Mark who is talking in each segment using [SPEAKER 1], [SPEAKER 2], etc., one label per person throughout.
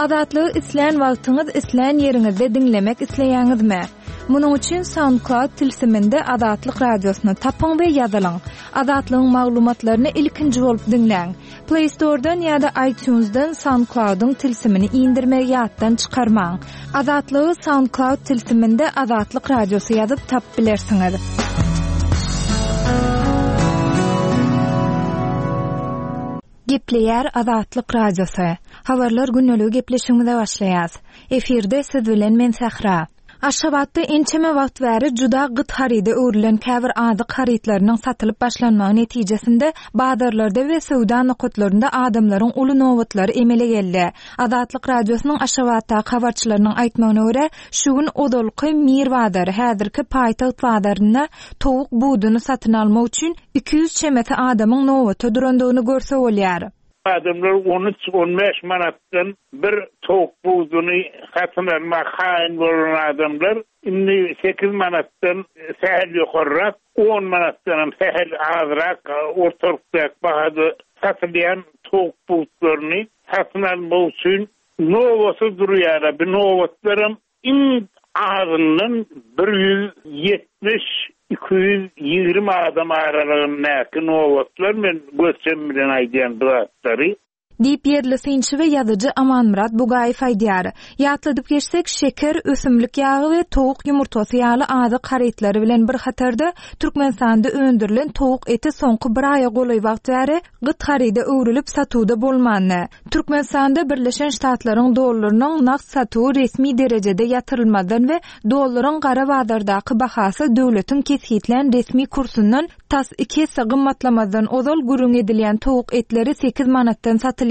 [SPEAKER 1] Azatlygy islän wagtyňyz, islän ýeriňizde diňlemek isleýäňizmi? Munuň üçin SoundCloud tilsiminde Azatlyk Radiosyny tapyň we ýazylyň. Azatlygyň maglumatlaryny ilkinji bolup diňläň. Play Store-dan ýa-da iTunes-dan SoundCloud-yň tilsimini indirmegi ýatdan çykarmaň. Azatlygy SoundCloud tilsiminde Azatlyk Radiosy ýazyp tapyp bilersiňiz. Gepleýär Azatlyk Radiosy. Habarlar gündeligi gepleşigimize başlaýas. Efirde siz bilen men Sähra. Aşgabatda ençeme wagt bäri juda gyt haryda öwrülen käbir azyk harytlarynyň satylyp başlanmagy netijesinde bazarlarda we söwda nokatlarynda adamlaryň uly nobatlary emele geldi. Azatlyk Radiosynyň Aşgabatdaky habarçylarynyň aýtmagyna görä, şu gün ozalky Mir bazary, häzirki Paýtagt bazarynda towuk buduny satyn almak üçin 200 çemesi adamyň nobata durandygyny görse bolýar.
[SPEAKER 2] Adamlar on üç, on bäş manatdan bir towuk buduny satyn almaga kaýyl bolan adamlar indi sekiz manatdan sähel ýokarrak, on manatdanam sähel azrak ortalykdaky bahada satylýan towuk butlaryny satyn almak üçin nobata durýarlar. Bu nobatlaram Iň azyndan 170, 220 adam aralygyndaky nobatlar, men göz-çem bilen aýdýan bu zatlary.
[SPEAKER 1] Diýip, ýerli synçy we ýazyjy Amanmyrat Bugaýew aýdýar. Ýatladyp geçsek, şeker, ösümlik ýagy we towuk ýumurtgasy ýaly azyk harytlary bilen bir hatarda, Türkmenistanda öndürilen towuk eti soňky bir aýa golaý wagt bäri gyt haryda öwrülip satuwda bolmandy. Türkmenistanda Birleşen Ştatlaryň dollarynyň nagt satuwy resmi derejede ýatyrylmazdan we dollaryň gara bazardaky bahasy döwletiň kesgitlän resmi kursundan tas iki esse gymmatlamazdan ozal gürrüň edilýän towuk etleri sekiz manatdan satylýardy.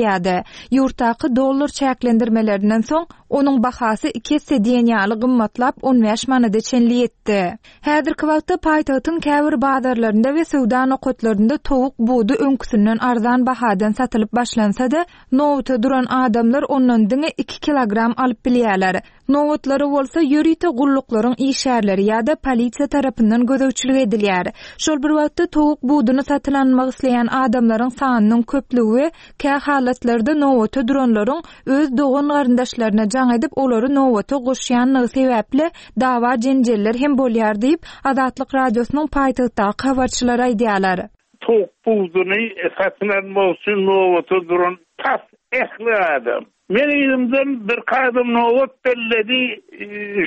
[SPEAKER 1] Ýurtdaky dollar çäklendirmelerinden soň onuň bahasy iki esse diýen ýaly gymmatlap on bäş manada çenli ýetdi. Häzirki wagtda paýtagtyň käbir bazarlarynda we söwda nokatlarynda towuk budy öňküsinden arzan bahadan satylyp başlansa-da, nobata duran adamlar ondan diňe iki kilogram alyp bilýärler. Nobatlara bolsa ýörite gulluklaryň işgärleri ýa-da polisiýa tarapyndan gözegçilik edilýär. Şol bir wagtda towuk buduny satyn almak isleýän adamlaryň sanynyň köplügi we kä halatlarda nobata duranlaryň öz dogan-garyndaşlaryna jaň edip, olary nobata goşýanlygy sebäpli dawa-jenjeller hem bolýar diýip, Azatlyk Radiosynyň paýtagtdaky habarçylary aýdýarlar.
[SPEAKER 2] Towuk buduny satyn almak üçin nobata duran tas ähli adam. Meň yzymdan birki adam nobat belledi,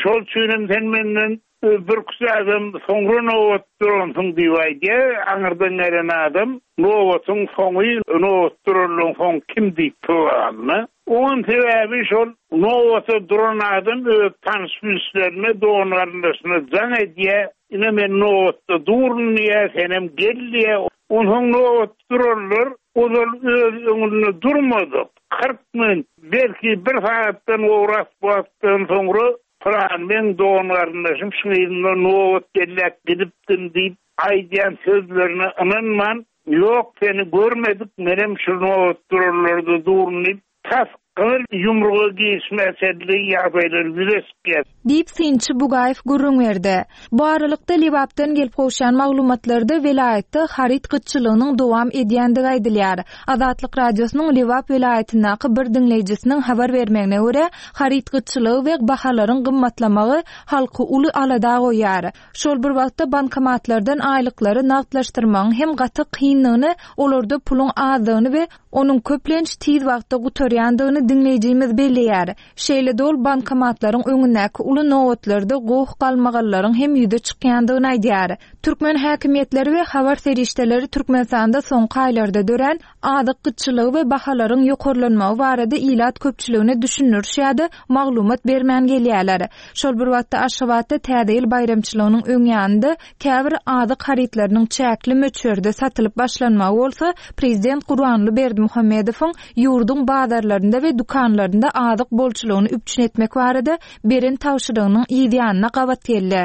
[SPEAKER 2] şol üçinem sen menden Birküç adam soňra nobat duransyň diýip aýdýar. Aňyrdan gelen adam nobatyň soňy, nobat duranlaryň soňy kim diýip soranda, oňam sebäbi şol nobata duran adam öz tanyş-bilişlerine, dogan-garyndaşyna jaň edýär, ine men nobatda durun diýýär, senem gel diýýär. Onsoň nobatda duranlar ozal öz öňünde durmadyk, 40 minut, belki bir sagatdan gowrak wagtdan soňra Pylan meň dogan-garyndaşym şuň yzynda nobat belläp gidipdim diýip aýdýan sözlerine ynanman, Ýok, seni görmedik, menem şu nobat duranlarda durun diýip, tas gyzyl ýumruga girişmä çenli ýagdaýlar ýüze çykýar.
[SPEAKER 1] Diýip, synçy Bugaýew gürrüň berdi. Bu aralykda, Lebapdan gelip gowşan maglumatlarda welaýatda haryt gytçylygynyň dowam edýändigi aýdylýar. Azatlyk Radiosynyň Lebap welaýatyndaky bir diňleýjisiniň habar bermegine görä, haryt gytçylygy we bahalaryň gymmatlamagy halky uly alada goýýar. Şol bir wagtda bankomatlardan aýlyklary nagtlaşdyrmagyň hem gaty kyndygyny, olarda puluň azdygyny we onuň köplenç tiz wagtda gutarýandygyny diňleýjimiz belleýär. Şeýle-de ol bankomatlaryň öňündäki uly nobatlarda goh-galmagallaryň hem ýüze çykýandygyny aýdýar. Türkmen häkimiýetleri we habar serişdeleri Türkmenistanda soňky aýlarda dörän azyk gytçylygy we bahalaryň ýokarlanmagy barada ilat köpçüligine düşündiriş ýa-da maglumat bermän gelýärler. Şol bir wagtda Aşgabatda Täze ýyl baýramçylygynyň öň ýanynda käbir azyk harytlarynyň çäkli möçberde satylyp başlanmagy bolsa prezident Gurbanguly Berdimuhamedowyň ýurduň bazarlarynda we dükanlarynda azyk bolçulygyny üpjün etmek barada beren tabşyrygynyň yz ýanyna gabat geldi.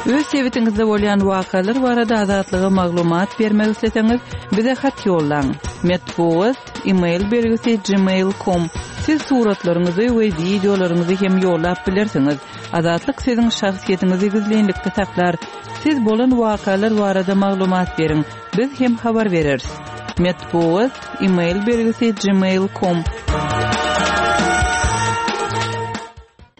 [SPEAKER 3] Öz sebitiňizde bolýan wakalar barada Azatlyga maglumat bermek isleseňiz, bize hat ýollaň. Metbugat, e-mail belgisi gmail com. Siz suratlaryňyzy we wideolaryňyzy hem ýollap bilersiňiz. Azatlyk siziň şahsyýetiňizi gizlinlikde saklar. Siz bolan wakalar barada maglumat beriň, biz hem habar bereris. Metbugat, e-mail belgisi gmail com.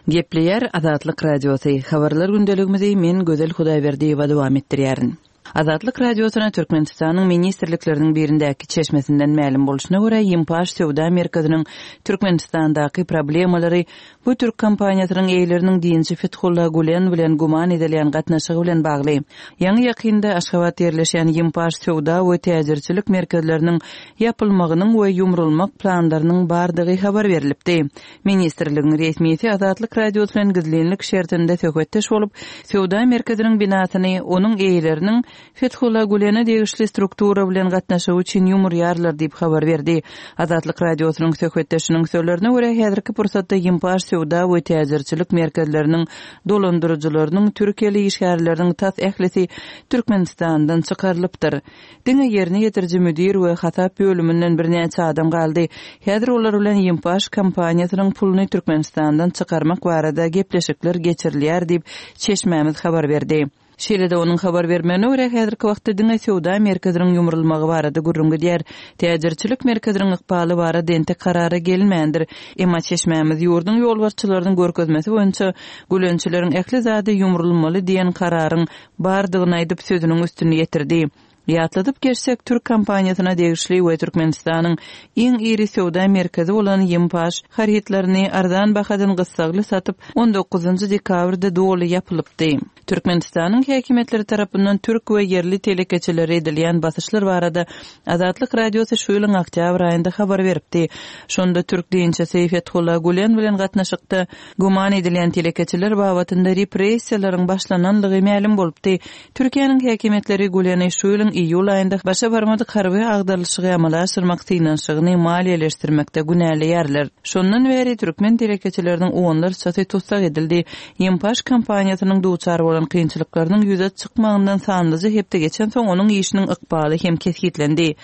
[SPEAKER 3] Gepleýär Azatlyk Radiosy, Habarlar gündeligimizi men Gözel Hudaýberdiýewa dowam etdirýärin. Azatlyk Radiosyna Türkmenistanyň ministrlikleriniň birindäki çeşmesinden mälim bolşuna görä, Ýimpaş söwda merkeziniň Türkmenistandaky problemalary bu türk kompaniýasynyň eýeleriniň dinçi Fethulla Gülen bilen güman edilýän gatnaşygy bilen bagly. Ýaňy-ýakynda Aşgabatda ýerleşýän Ýimpaş söwda we täjirçilik merkezleriniň ýapylmagynyň we ýumrulmak planlarynyň bardygy habar berlipdi. Ministrligiň resmisi Azatlyk Radiosy bilen gizlinlik şertinde söhbetdeş bolup, söwda merkeziniň binasyny onuň eýeleriniň Fethullah Gülene degişli struktura bilen gatnaşygy üçin ýumurýarlar diýip habar berdi. Azatlyk Radiosynyň söhbetdeşiniň sözlerine görä, häzirki pursatda Ýimpaş söwda we täjirçilik merkezleriniň dolandyryjylarynyň türkiýeli işgärleriniň tas ählisi Türkmenistandan çykarylypdyr. Diňe ýerine ýetiriji müdir we hasap bölüminden birnäçe adam galdy. Häzir olar bilen Ýimpaş kompaniýasynyň puluny Türkmenistandan çykarmak barada gepleşikler geçirilýär diýip, çeşmämiz habar berdi. Şeýle-de onuň habar bermegine görä, häzirki wagtda diňe söwda merkeziniň ýumrulmagy barada gürrüň gidýär. Täjirçilik merkeziniň ykbaly barada entek karara gelinmändir. Emma çeşmämiz ýurduň ýolbaşçylarynyň görkezmesi boýunça gülençileriň ähli zady ýumrulmaly diýen kararyň bardygyny aýdyp, sözüniň üstüni ýetirdi. Ýatladyp geçsek, türk kompaniýasyna degişli we Türkmenistanyň iň iri söwda merkezi bolan Ýimpaş harytlaryny arzan bahadan gyssagly satyp, on dokuzynjy dekabrda doly ýapylypdy. Türkmenistanyň häkimiýetleri tarapyndan türk we ýerli telekeçilere edilýän basyşlar barada Azatlyk Radiosy şu ýylyň oktýabr aýynda habar beripdi. Şonda türk dinçisi Fethullah Gülen bilen gatnaşykda güman edilýän telekeçiler babatynda repressiýalaryň başlananlygy mälim bolupdy. Türkiýäniň häkimiýetleri Güleni şu ýylyň iýul aýynda başa barmadyk harby agdarylyşygy amala aşyrmak synanyşygyny maliýeleşdirmekde günäleýärler. Şondan bäri türkmen telekeçileriniň onlarçasy tussag edildi. Ýimpaş kompaniýasynyň duçar bolan kynçylyklarynyň ýüze çykmagyndan sanlyja hepde geçensoň onuň işiniň ykbaly hem kesgitlendi.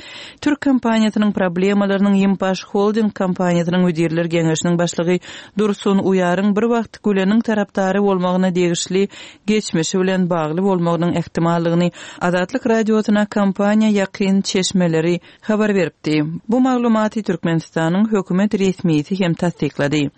[SPEAKER 3] Türk kompaniýasynyň problemalarynyň Ýimpaş Holding kompaniýasynyň müdirler geňeşiniň başlygy Dursun Uýaryň bir wagt Güleniň tarapdary bolmagyna degişli geçmişi bilen bagly bolmagynyň ähtimallygyny Azatlyk Radiosyna kompaniýa ýakyn çeşmeleri habar beripdi. Bu maglumaty Türkmenistanyň hökümet resmisi hem tassyklady.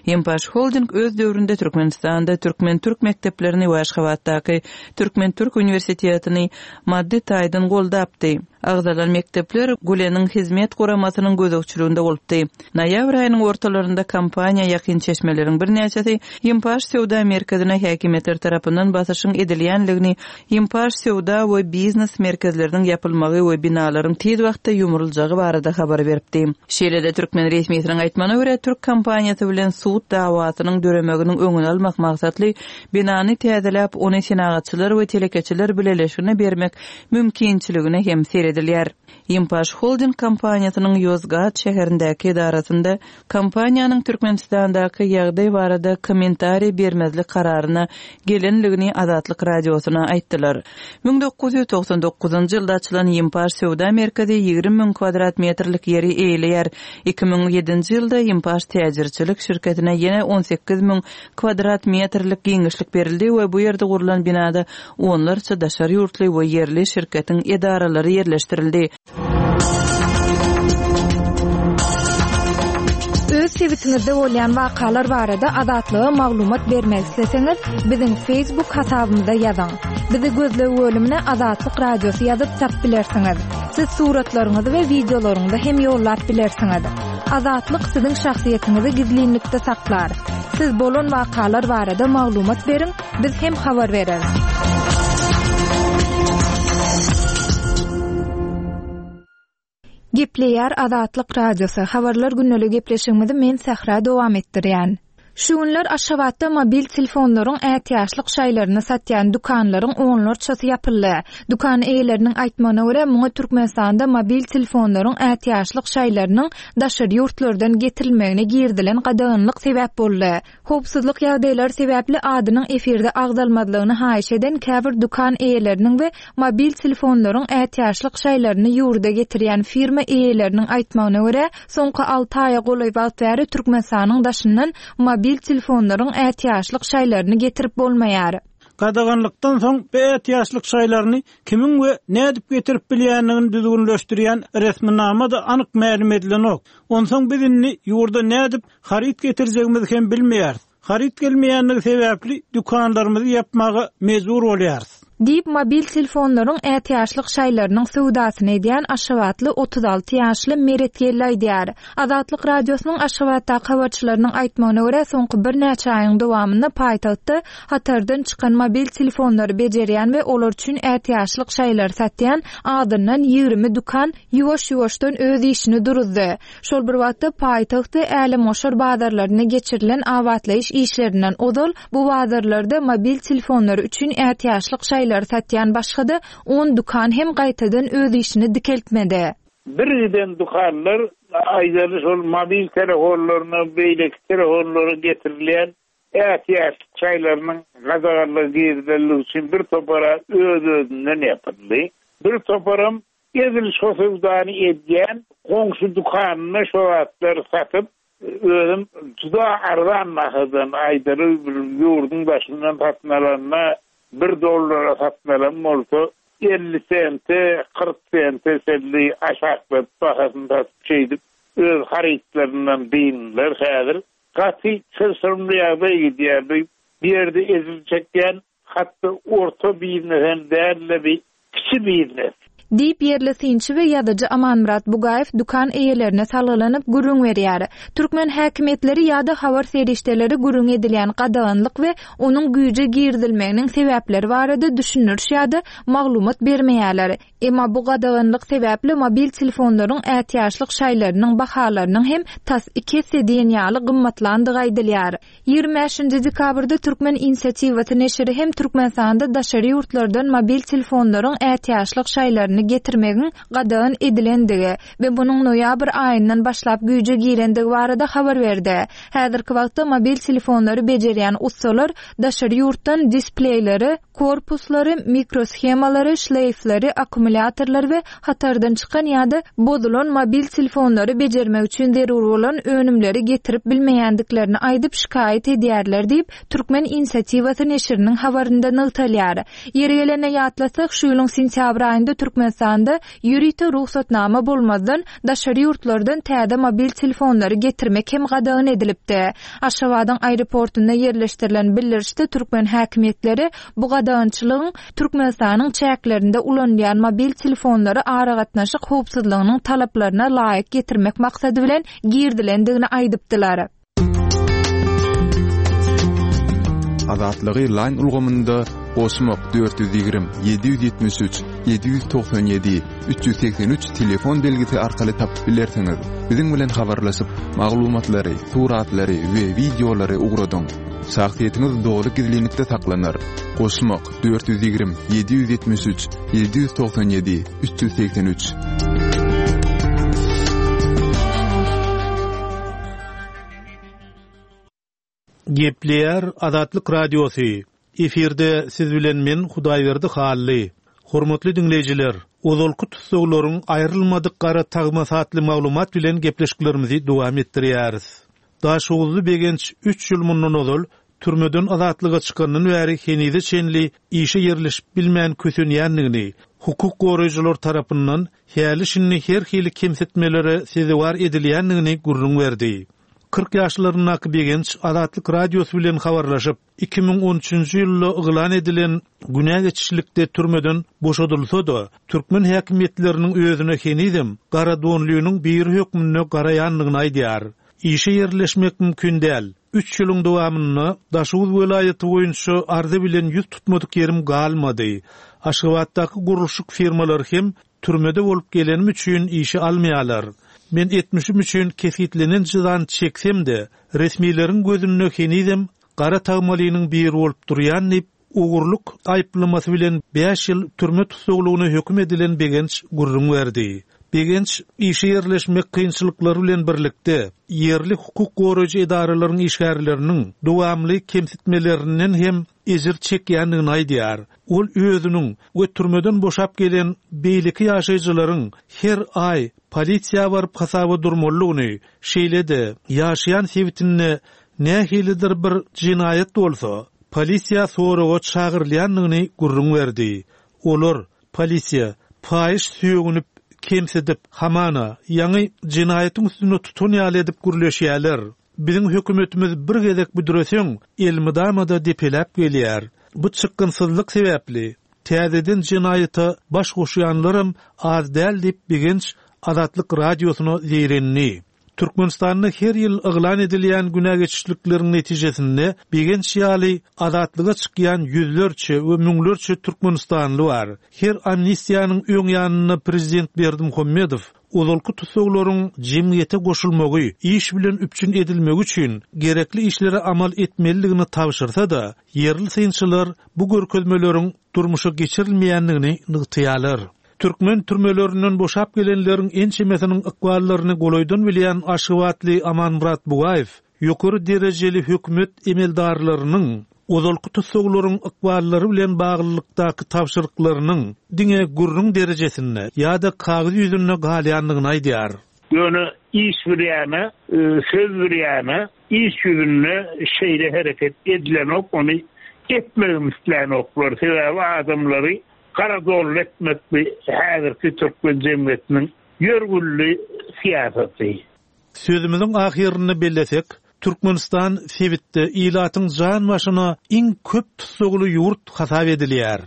[SPEAKER 3] Ýempaş Holding öz döwründe Türkmenistanda türkmen-türk mekdeplerini we Aşgabatdaky Türkmen-türk uniwersitetini maddy taýdan goldapdy. Agzalan mekdepler Güleniň Hizmet guramasynyň gözegçiliginde bolupdy. Noýabr aýynyň ortalarynda kompaniýa ýakyn çeşmeleriň birnäçesi Ýimpaş söwda merkezine häkimiýetler tarapyndan basyşyň edilýänligini, Ýimpaş söwda we biznes merkezleriniň ýapylmagy we binalaryň tiz wagtda ýumruljagy barada habar beripdi. Şeýle-de türkmen resmisiniň aýtmagyna görä, türk kompaniýasy bilen sud dawasynyň döremeginiň öňüni almak maksatly binany täzeläp, ony Senagatçylar we telekeçiler bileleşigine bermek mümkinçiligine hem seredilýär. Ýimpaş Holding kompaniýasynyň Ýozgat şäherindäki edarasynda kompaniýanyň Türkmenistandaky ýagdaý barada kommentariý bermezlik kararyna gelenligini Azatlyk Radiosyna aýtdylar. 1999-njy ýylda açylan Ýimpaş söwda merkezi 20 müň kwadrat metrlik ýeri eýeleýär. 2007-nji ýylda Ýimpaş täjirçilik şirketine ýene 18 müň kwadrat metrlik giňişlik berildi we bu ýerde gurlan binada onlarça daşary ýurtly we ýerli şirketiň edaralary ýerleşdirildi.
[SPEAKER 1] Öz sebitiňizde bolýan wakalar barada Azatlyga maglumat bermek isleseňiz, biziň Facebook hasabymyza ýazyň. Bizi gözleg bölümine Azatlyk Radiosy ýazyp tapyp bilersiňiz. Siz suratlaryňyzy we wideolaryňyzy hem ýollap bilersiňiz. Azatlyk siziň şahsyýetiňizi gizlinlikde saklar. Siz bolan wakalar barada maglumat beriň, biz hem habar bereris. Gepleýär Azatlyk Radiosy, Habarlar gündeli gepleşigimizi men Sähra dowam etdirýän. Şu günler Aşgabatda mobil telefonlaryň ätiýaçlyk şaýlaryny satýan dükanlaryň onlarçasy ýapyldy. Dükan eýeleriniň aýtmagyna görä, muňa Türkmenistanda mobil telefonlaryň ätiýaçlyk şaýlarynyň daşary ýurtlardan getirilmegine girizilen gadaganlyk sebäp boldy. Howpsuzlyk ýagdaýlary sebäpli adynyň efirde agzalmazlygyny haýyş eden käbir dükan eýeleriniň we mobil telefonlaryň ätiýaçlyk şaýlaryny ýurda getirýän firma eýeleriniň aýtmagyna görä, soňky alty aýa golaý wagt bäri Türkmenistanyň daşyndan mobil telefonlaryň ätiýaçlyk şaýlaryny getirip bolmaýar.
[SPEAKER 4] Gadaganlykdan soň bu ätiýaçlyk şaýlaryny kimiň we nädip getirip bilýändigini düzgünleşdirýän resminama-da anyk mälim edilenok. Onsoň biz indi ýurda nädip haryt getirjegimizi hem bilmeýäris. Haryt gelmeýändigi sebäpli dükanlarymyzy ýapmaga mejbur bolýarys.
[SPEAKER 1] Diýip, mobil telefonlaryň ätiýaçlyk şaýlarynyň söwdasyny edýän aşgabatly 36 ýaşly Meret Geldi aýdýar. Azatlyk Radiosynyň Aşgabatdaky habarçylarynyň aýtmagyna görä, soňky birnäçe aýyň dowamynda paýtagtda hatardan çykan mobil telefonlary bejerýän we olar üçin ätiýaçlyk şaýlary satýan azyndan 20 dükan ýuwaş-ýuwaşdan öz işini duruzdy. Şol bir wagtda, paýtagt we älemgoşar bazarlarynda geçirilen abatlaýyş işlerinden ozal, bu bazarlarda mobil telefonlary üçin ätiýaçlyk şaýlary satýan başga-da on dükan hem gaýtadan öz işini dikeltmedi.
[SPEAKER 2] Bir giden dükanlar, aýdaly şol mobil telefonlaryna, beýleki telefonlara getirilýän ätiýaçlyk şaýlarynyň gadaganlygy girizenligi üçin bir topara öz-özünden ýapyldy. Bir toparam Edil şo söwdany edýän goňşy dükanynda şo zatlary satyp, özem juda arzan bahadan, aýdaly bir ýurduň daşyndan satyn alanda bir dollara satyn alan bolsa, 50 sente, 40 sente çenli aşakladyp bahasyny satyp şeýdip öz harytlaryndan dyndylar. Häzir gaty çylşyrymly ýagdaý gidýär. Bu ýerde ejir çekýän Hatda orta biznes hem däl-de bir kiçi biznes.
[SPEAKER 1] Diýip, ýerli synçy we ýazyjy Amanmyrat Bugaýew dükan eýelerine salgylanyp gürrüň berýär. Türkmen häkimiýetleri ýa-da habar serişdeleri gürrüň edilýän gadaganlyk we onuň güýje girizilmeginiň sebäpleri barada düşündiriş ýa-da maglumat bermeýärler. Emma bu gadaganlyk sebäpli mobil telefonlaryň ätiýaçlyk şaýlarynyň bahalarynyň hem tas iki esse diýen ýaly gymmatlandygy aýdylýar. 25-nji dekabrda Türkmen inisiatiwasy neşiri hem Türkmenistanda daşary ýurtlardan mobil telefonlaryň ätiýaçlyk şaýlaryny getirmegiň gadagan edilendigi we munuň noýabr aýyndan başlap güýje girendigi barada habar berdi. Häzirki wagtda mobil telefonlary bejerýän ussalar daşary ýurtdan displeýleri, korpuslary, mikroshemalary, şleýfleri, akkumulýatorlary we hatardan çykan ýa-da bozulan mobil telefonlary bejermek üçin zerur bolan önümleri getirip bilmeýändiklerini aýdyp şikaýat edýärler diýip, Türkmen inisiatiwasy neşiriniň habarynda nygtalýar. Ýeri gelende ýatlasak, şu ýylyň sentýabr aýynda Türkmenistanda ýörite rugsatnama bolmazdan daşary ýurtlardan täze mobil telefonlary getirmek hem gadagan edilipdi. Aşgabadyň aeroportunda ýerleşdirilen bildirişde türkmen häkimiýetleri bu gadagançylygyň Türkmenistanyň çäklerinde ulanylýan mobil telefonlary aragatnaşyk howpsuzlygynyň talaplaryna laýyk getirmek maksady bilen girizilendigini aýdypdylar.
[SPEAKER 5] Azatlygy Line ulgamynda goşmak 420 773 797 383 telefon belgisi arkaly tapyp bilersiňiz. Biziň bilen habarlaşyp, maglumatlary, suratlary we wideolary ugradyň. Şahsyýetiňiz doly gizlinlikde saklanar. Goşmak 420 773 797 383.
[SPEAKER 6] Gepleýär Azatlyk Radiosy, Efirde siz bilen men Hudaýberdi Hally. Hormatly diňleýjiler, ozalky tussaglaryň aýrylmadyk gara tagmasy atly maglumat bilen gepleşiklerimizi dowam etdirýäris. Daşoguzly Begenç üç ýyl mundan ozal türmeden azatlyga çykandan bäri henize çenli işe ýerleşip bilmän kösenýändigini, hukuk goraýjylar tarapyndan häli-şindi her hili kemsitmelere sezewar edilýändigini gürrüň berdi. 40 ýaşlaryndaky Begenç Azatlyk Radiosy bilen habarlaşyp, 2013-nji ýylda yglan edilen günä geçişlikde türmeden boşadylsa-da, türkmen häkimiýetleriniň özüne henizem garadonlynyň biri hökmünde garaýandygyny aýdýar. Işe ýerleşmek mümkin däl. Üç ýylyň dowamynda Daşoguz welaýaty boýunça arza bilen ýüz tutmadyk ýerim galmady. Aşgabatdaky gurluşyk firmalary hem türmede bolup gelenim üçin işe almaýarlar. Men etmişim üçin kesgitlenen jezany çeksem-de, resmileriň gözünde henizem gara tagmalynyň biri bolup durýan diýip, ogurlyk aýyplamasy bilen bäş ýyl türme tussaglygyna höküm edilen Begenç gürrüň berdi. Begenç işe ýerleşmek kynçylyklary bilen birlikde, ýerli hukuk goraýjy edaralaryň işgärleriniň dowamly kemsitmelerinden hem ejir çekýändigini aýdýar. Ol özüniň we türmeden boşap gelen beýleki ýaşaýjylaryň her aý polisiýa baryp hasaba durmalydygyny, şeýle-de ýaşaýan sebitinde nähilidir bir jenaýat bolsa, polisiýa soraga çagyrylýandygyny gürrüň berdi. Olar, polisiýa, paýyş sögünip, kemsidip, hamana, ýaňy jenaýatyň üstünde tutan ýaly edip gürleşýärler. Biziň hökümetimiz bir gezek büdreseň, elmydama-da depeläp gelýär. Bu çykgynsyzlyk sebäpli, täzeden jenaýata baş goşýanlaram az däl diýip, Begenç Azatlyk Radiosyna zeýrendi. Türkmenistanda her ýyl yglan edilýän günä geçişlikleriň netijesinde Begenç ýaly azatlyga çykýan ýüzlerçe we müňlerçe türkmenistanly bar. Her amnistiýanyň öň ýanynda prezident Berdimuhamedow ozalky tussaglaryň jemgyýete goşulmagy, iş bilen üpjün edilmegi üçin gerekli işleri amal etmelidigini tabşyrsa-da, ýerli synçylar bu görkezmeleriň durmuşa geçirilmeýändigini nygtaýarlar. Türkmen türmelerinden boşap gelenleriň ençemesiniň ykballaryny golaýdan bilýän aşgabatly Amanmyrat Bugaýew ýokary derejeli hökümet emeldarlarynyň ozalky tussaglaryň ykballary bilen baglylykdaky tabşyryklarynyň diňe gürrüň derejesinde ýa-da kagyz ýüzünde galýandygyny aýdýar.
[SPEAKER 2] Ýöne iş bir ýana, söz bir ýana, iş ýüzünde şeýle hereket edilenok, ony etmegem islänoklar. Sebäbi adamlary Gara donly etmek bu häzirki türkmen jemgyýetiniň ýörgünli syýasaty.
[SPEAKER 6] Sözümiziň ahyrynda bellesek, Türkmenistan sebitde ilatyň jan başyna iň köp tussagly ýurt hasap edilýär.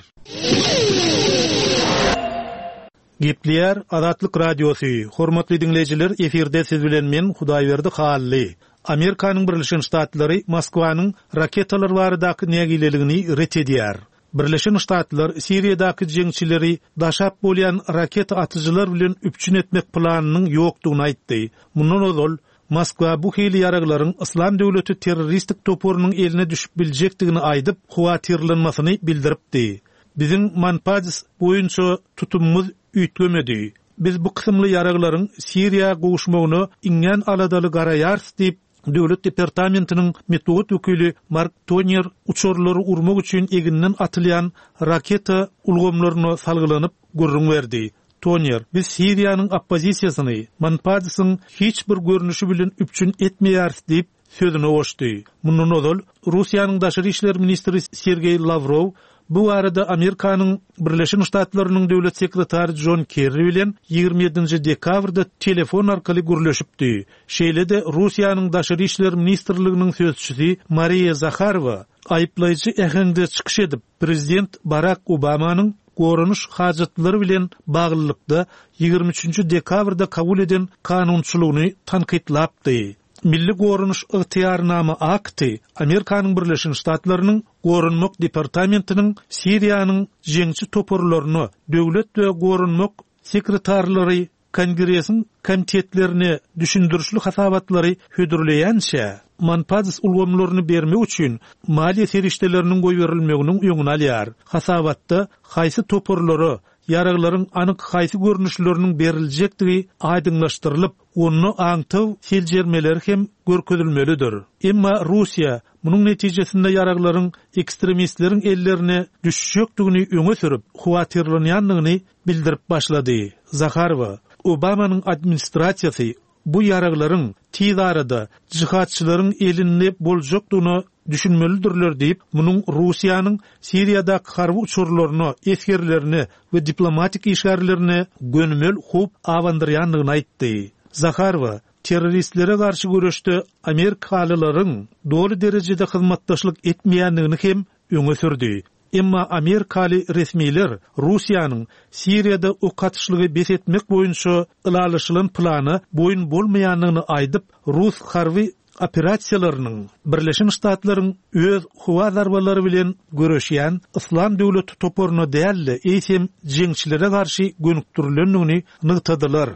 [SPEAKER 6] Gepleýär Azatlyk Radiosy, Hormatly diňleýjiler, efirde siz bilen men, Hudaýberdi Hally. Amerikanyň Birleşen Ştatlary Moskwanyň raketalar baradaky nägileligini ret edýär. Birleşen Ştatlar Siriýadaky jeňçileri daşap bolýan raketa atyjylar bilen üpjün etmek planynyň ýokdugyny aýtdy. Mundan ozal, Moskwa bu hili ýaraglaryň Yslam döwleti terroristik toparynyň eline düşüp biljekdigini aýdyp, howatyrlanmasyny bildiripdi. Biziň Manpads boýunça tutumymyz üýtgemedi. Biz bu kysymly ýaraglaryň Siriýa gowuşmagyna iňňän aladaly garaýarys diýip, Döwlet departamentiniň metbugat wekili Mark Tonýer uçarlary urmak üçin eginden atylýan raketa ulgamlaryna salgylanyp gürrüň berdi. Tonýer, Biz Siriýanyň oppozisiýasyny Manpadsyň hiç bir görnüşi bilen üpjün etmeýäris diýip, sözüne goşdy. Mundan ozal, Russiýanyň daşary işler ministri Sergeý Lawrow Bu barada Amerikanyň Birleşen Ştatlarynyň Döwlet sekretary Jon Kerri bilen 27-nji dekabrda telefon arkaly gürleşipdi. Şeýle-de Russiýanyň Daşary işler ministrliginiň sözçüsi Mariýa Zaharowa aýyplaýjy äheňde çykyş edip, prezident Barak Obamanyň goranyş hajatlary bilen baglylykda 23-nji dekabrda kabul eden kanunçylygyny tankytlapdy. Milli goranyş ygtyýarnama akty Amerikanyň Birleşen Ştatlarynyň Goranmak departamentiniň Siriýanyň jeňçi toparlaryna döwlet we goranmak sekretarlary Kongresiň komitetlerine düşündirişli hasabatlary hödürleýänçä, Manpads ulgamlaryny bermek üçin maliýe serişdeleriniň goýberilmeginiň öňüni alýar. Hasabatda haýsy toparlara ýaraglaryň anyk haýsy görnüşleriniň beriljekdigi aýdyňlaşdyrylyp, Onda aňtaw seljermeleri hem görkezilmelidir. Emma Russiýa munuň netijesinde ýaraglaryň ekstremistleriň ellerine düşjekdigini öňe sürüp, howatyrlanýandygyny bildirip başlady. Zaharowa, Obamanyň administrasiýasy bu ýaraglaryň tiz arada jihadçylaryň elinde boljakdygyna düşünmelidirler diýip, munuň Russiýanyň Siriýadaky harby uçarlaryna, esgerlerine we diplomatik işgärlerine gönümel howp abandyrýandygyny aýtdy. Zaharowa, terroristlere garşy göreşde amerikalylaryň doly derejede hyzmatdaşlyk etmeýändigini hem öňe sürdi. Emma amerikaly resmiler Russiýanyň Siriýada ok atyşlygy bes etmek boýunça ylalaşylan plana boýun bolmaýandygyny aýdyp, rus harby operasiýalarynyň Birleşen Ştatlaryň öz howa zarbalary bilen göreşýän Yslam döwleti toparyna däl-de, eýsem jeňçilere garşy gönükdirilendigini nygtadylar.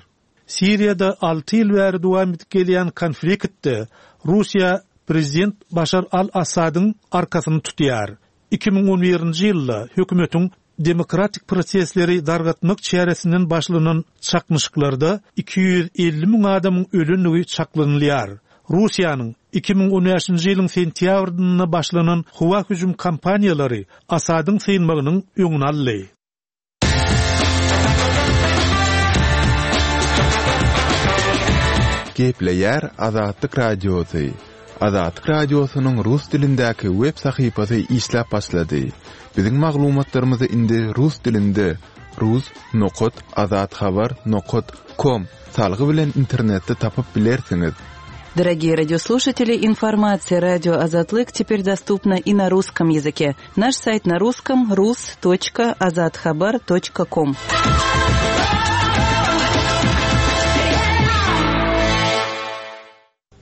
[SPEAKER 6] Siriýada alty ýyl bäri dowam edip gelýän konfliktde Russiýa prezident Başar al-Assadyň arkasyny tutýar. 2011-nji ýylda hökümetiň demokratik prosesleri dargatmak çäresinden başlanan çaknyşyklarda 250 müň adamyň ölendigi çaklanylýar. Russiýanyň 2015-nji ýylyň sentýabrynda başlanan howa hüjüm kampaniýalary Asadyň synmagynyň öňüni aldy.
[SPEAKER 5] Gepleýär Azatlyk Radiosy. Azatlyk Radiosynyň rus dilindäki web sahypasy işläp başlady. Biziň maglumatlarymyzy indi rus dilinde rus nokat azathabar nokat kom salgy bilen internetde tapyp bilersiňiz.
[SPEAKER 3] Дорогие радиослушатели, информация радио Азатлык теперь доступна и на русском языке. Наш сайт на русском rus.azathabar.com.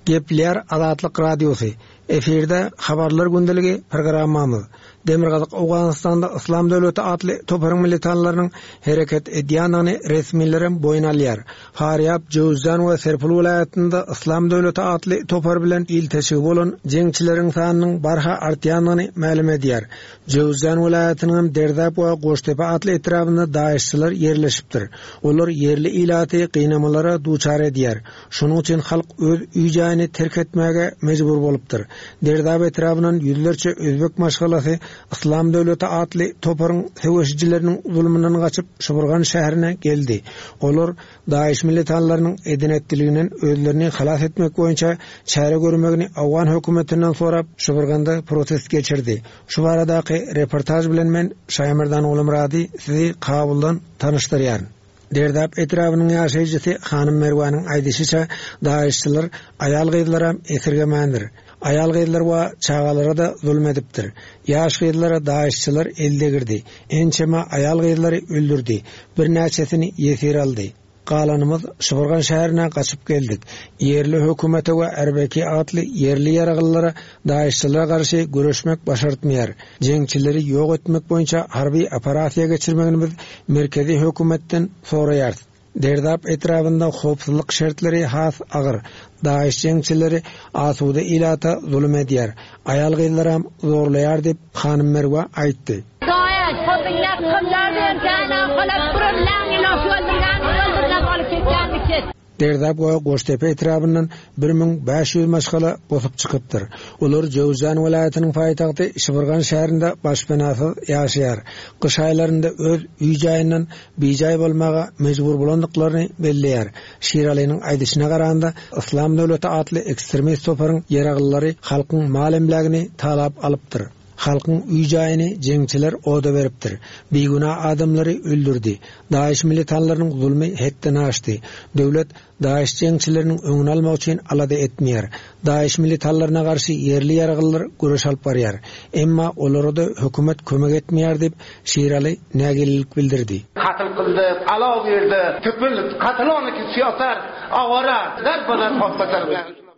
[SPEAKER 7] Gepleýär Azatlyk Radiosy, Efirde Habarlar gündeligi programmamyz. Demirgazyk Owganystanda Yslam döwleti atly toparyň militanlarynyň hereket edýändigini resmilerem boýun alýar. Farýab, Jöwüzjan we Serpul welaýatynda Yslam döwleti atly topar bilen ilteşigi bolan jeňçileriň sanynyň barha artýandygyny mälim edýär. Jöwüzjan welaýatynyňam Derzap we Goştepe atly etrabynda daeşçiler ýerleşipdir. Olar ýerli ilaty gynamalara duçar edýär. Şonuň üçin halk öz öý-jaýyny terk etmäge mejbur bolupdyr. Derdap etrabyndan ýüzlerçe özbek maşgalasy Yslam döwleti atly toparyň söweşijileriniň zulumyndan gaçyp, Şybyrgan şäherine geldi. Olar DAIŞ militanlarynyň eden-etdiliginden özlerini halas etmek boýunça çäre görmegini owgan hökümetinden sorap, Şybyrganda protest geçirdi. Şu baradaky reportaž bilen men, Şaýmerdan Gulumyrady sizi Kabuldan tanyşdyrýaryn. Derdap etrabynyň ýaşaýjysy Hanym Merwanyň aýdyşyça, daeşçiler aýal-gyzlaram esirgemändir. Aýal-gyzlar we çagalara-da zulum edipdir. Ýaş gyzlara daeşçiler el degirdi. Ençeme aýal-gyzlary öldürdi. Birnäçesini ýesir aldy. Galanymyz Şybyrgan şäherine gaçyp geldik. Ýerli hökümete we Erbeki atly ýerli ýaraglylara Daeşçilere garşy göreşmek başartmaýar. Jeňçileri ýok etmek boýunça harby operasiýa geçirmegini biz merkezi hökümetden soraýarys. Derdap etrabynda howpsuzlyk şertleri has agyr. Daeş jeňçileri asuda ilata zulum edýär. Aýal-gyzlaram zorlaýar diýip, hanym Merwa aýtdy. Derdap we Goştepe etrabyndan 1500 maşgala bosup çykypdyr. Olar Jöwüzjan welaýatynyň paýtagty Şybyrgan şäherinde başpenasyz ýaşaýar. Gyş aýlarynda öz öý-jaýyndan bijaý bolmaga mejbur bolandyklaryny belleýär. Şiralynyň aýdyşyna garanda, Yslam döwleti atly ekstremist toparyň ýaraglylary halkyň mal-emlägini talap alypdyr. Halkyň öý-jaýyny jeňçiler oda beripdir. Bigünä adamlary öldürdi. DAIŞ militanlarynyň zulmy hetden aşdy. Döwlet DAIŞ jeňçileriniň öňüni almak üçin alada etmeýär. DAIŞ militanlaryna garşy ýerli ýaraglylar göreş alyp barýar. Emma olara-da hökümet kömek etmeýär diýip, Şiraly nägilelik bildirdi.
[SPEAKER 8] Katl kyldy, alaw girdi, tüpül, katl oniki siýosar, awara, der-bader hopbatar.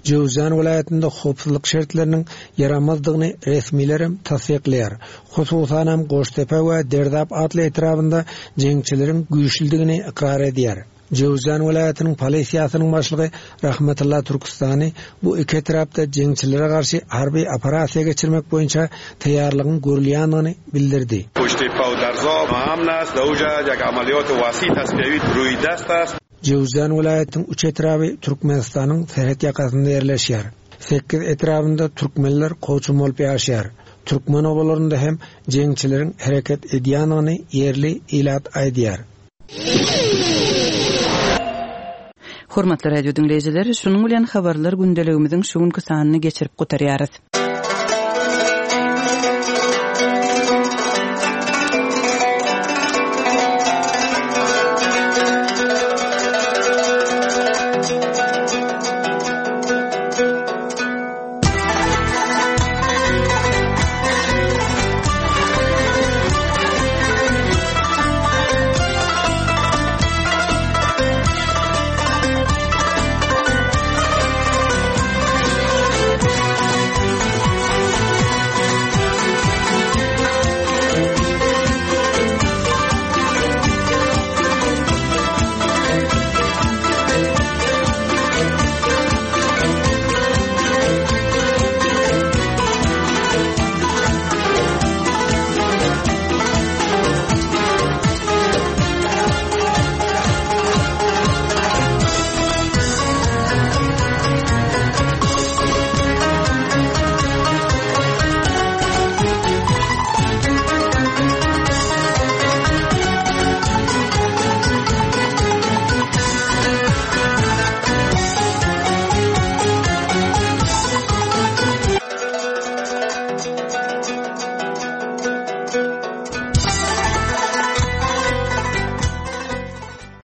[SPEAKER 7] Jöwüzjan welaýatynda howpsuzlyk şertleriniň ýaramazdygyny resmilerem tassyklaýar. Hususanam Goştepe we Derdap atly etrabynda jeňçileriň güýçlüdigini ykrar edýär. Jöwüzjan welaýatynyň polisiýasynyň başlygy Rahmetulla Türküstany bu iki etrapda jeňçilere garşy harby operasiýa geçirmek boýunça taýýarlygyň görülýändigini bildirdi.
[SPEAKER 8] Goştepe we Derzap amn ast, dawja ýek amaliyot wasi tasfiýawi ruý dest ast.
[SPEAKER 7] Jöwüzjan welaýatynyň üç etraby Türkmenistanyň serhet ýakasynda ýerleşýär. Sekiz etrabynda türkmenler kowçum bolup ýaşaýar. Türkmen obalarynda hem jeňçileriň hereket edýändigini ýerli ilat aýdýar.
[SPEAKER 3] Hormatly radio diňleýjiler, şunuň bilen Habarlar gündeligimiziň şu günki sanyny geçirip gutarýarys.